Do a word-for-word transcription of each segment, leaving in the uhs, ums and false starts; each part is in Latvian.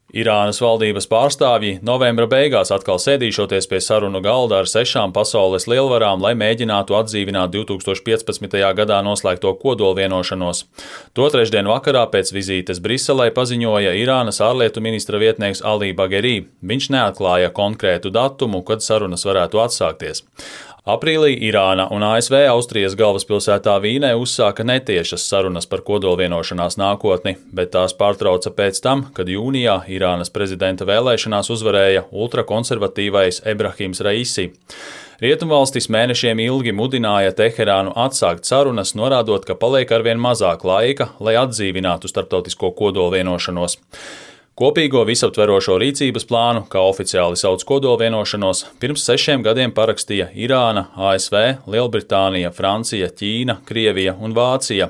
Irānas valdības pārstāvji novembra beigās atkal sēdīšoties pie sarunu galda ar sešām pasaules lielvarām, lai mēģinātu atdzīvināt divs tūkstoši piecpadsmitajā gadā noslēgto kodolvienošanos. To trešdien vakarā pēc vizītes Briselē paziņoja Irānas ārlietu ministra vietnieks Ali Bagheri. Viņš neatklāja konkrētu datumu, kad sarunas varētu atsākties. Aprīlī Irāna un A S V Austrijas galvaspilsētā Vīnē uzsāka netiešas sarunas par kodolvienošanās nākotni, bet tās pārtrauca pēc tam, kad jūnijā Irānas prezidenta vēlēšanās uzvarēja ultrakonservatīvais Ebrahims Raisi. Rietumvalstis mēnešiem ilgi mudināja Teherānu atsākt sarunas, norādot, ka paliek arvien mazāk laika, lai atdzīvinātu starptautisko kodolvienošanos. Kopīgo visaptverošo rīcības plānu, kā oficiāli sauc kodolvienošanos, pirms sešiem gadiem parakstīja Irāna, A S V, Lielbritānija, Francija, Ķīna, Krievija un Vācija.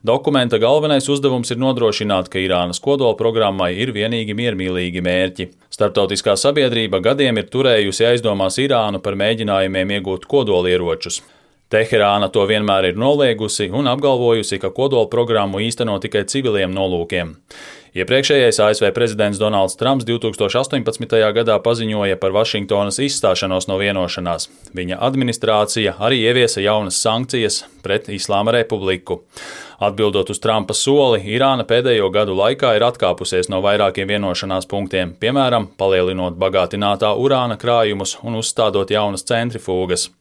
Dokumenta galvenais uzdevums ir nodrošināt, ka Irānas kodolprogrammai ir vienīgi miermīlīgi mērķi. Starptautiskā sabiedrība gadiem ir turējusi aizdomās Irānu par mēģinājumiem iegūt kodolieročus. Teherāna to vienmēr ir noliegusi un apgalvojusi, ka kodolprogrammu īsteno tikai civiliem nolūkiem. Iepriekšējais A S V prezidents Donalds Trumps divs tūkstoši astoņpadsmitajā gadā paziņoja par Vašingtonas izstāšanos no vienošanās. Viņa administrācija arī ieviesa jaunas sankcijas pret Islāma Republiku. Atbildot uz Trumpa soli, Irāna pēdējo gadu laikā ir atkāpusies no vairākiem vienošanās punktiem, piemēram, palielinot bagātinātā urāna krājumus un uzstādot jaunas centrifūgas.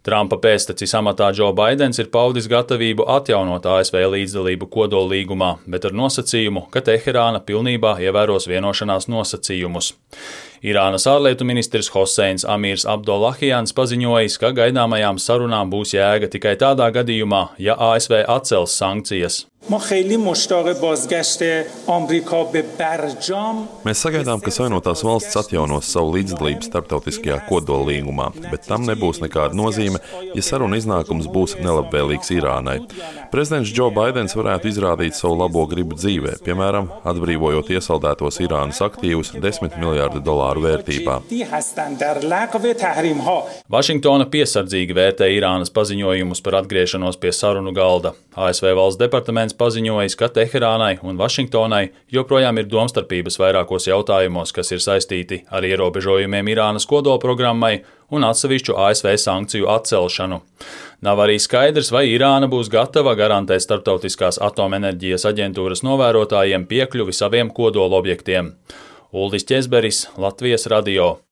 Trumpa pēctecis amatā Džo Baidens ir paudis gatavību atjaunot A S V līdzdalību kodollīgumā, bet ar nosacījumu, ka Teherāna pilnībā ievēros vienošanās nosacījumus. Irānas ārlietu ministrs Hoseins Amirs Abdollahjans paziņojis, ka gaidāmajām sarunām būs jēga tikai tādā gadījumā, ja A S V atcels sankcijas. Mēs sagaidām, ka Savienotās valstis atjaunos savu līdzdalību starptautiskajā kodollīgumā, bet tam nebūs nekāda nozīme, ja saruna iznākums būs nelabvēlīgs Irānai. Prezidents Džo Baidens varētu izrādīt savu labo gribu dzīvē, piemēram, atbrīvojot iesaldētos Irānas aktīvus desmit miljārdu dolāru vērtībā. Vašingtona piesardzīgi vērtē Irānas paziņojumus par atgriešanos pie sarunu galda. A S V valsts departaments paziņojis, ka Teherānai un Vašingtonai joprojām ir domstarpības vairākos jautājumos, kas ir saistīti ar ierobežojumiem Irānas kodolprogrammai un atsevišķu A S V sankciju atcelšanu. Nav arī skaidrs, vai Irāna būs gatava garantēt Starptautiskās atomenerģijas aģentūras novērotājiem piekļuvi saviem kodolobjektiem. Uldis Ķezberis, Latvijas radio.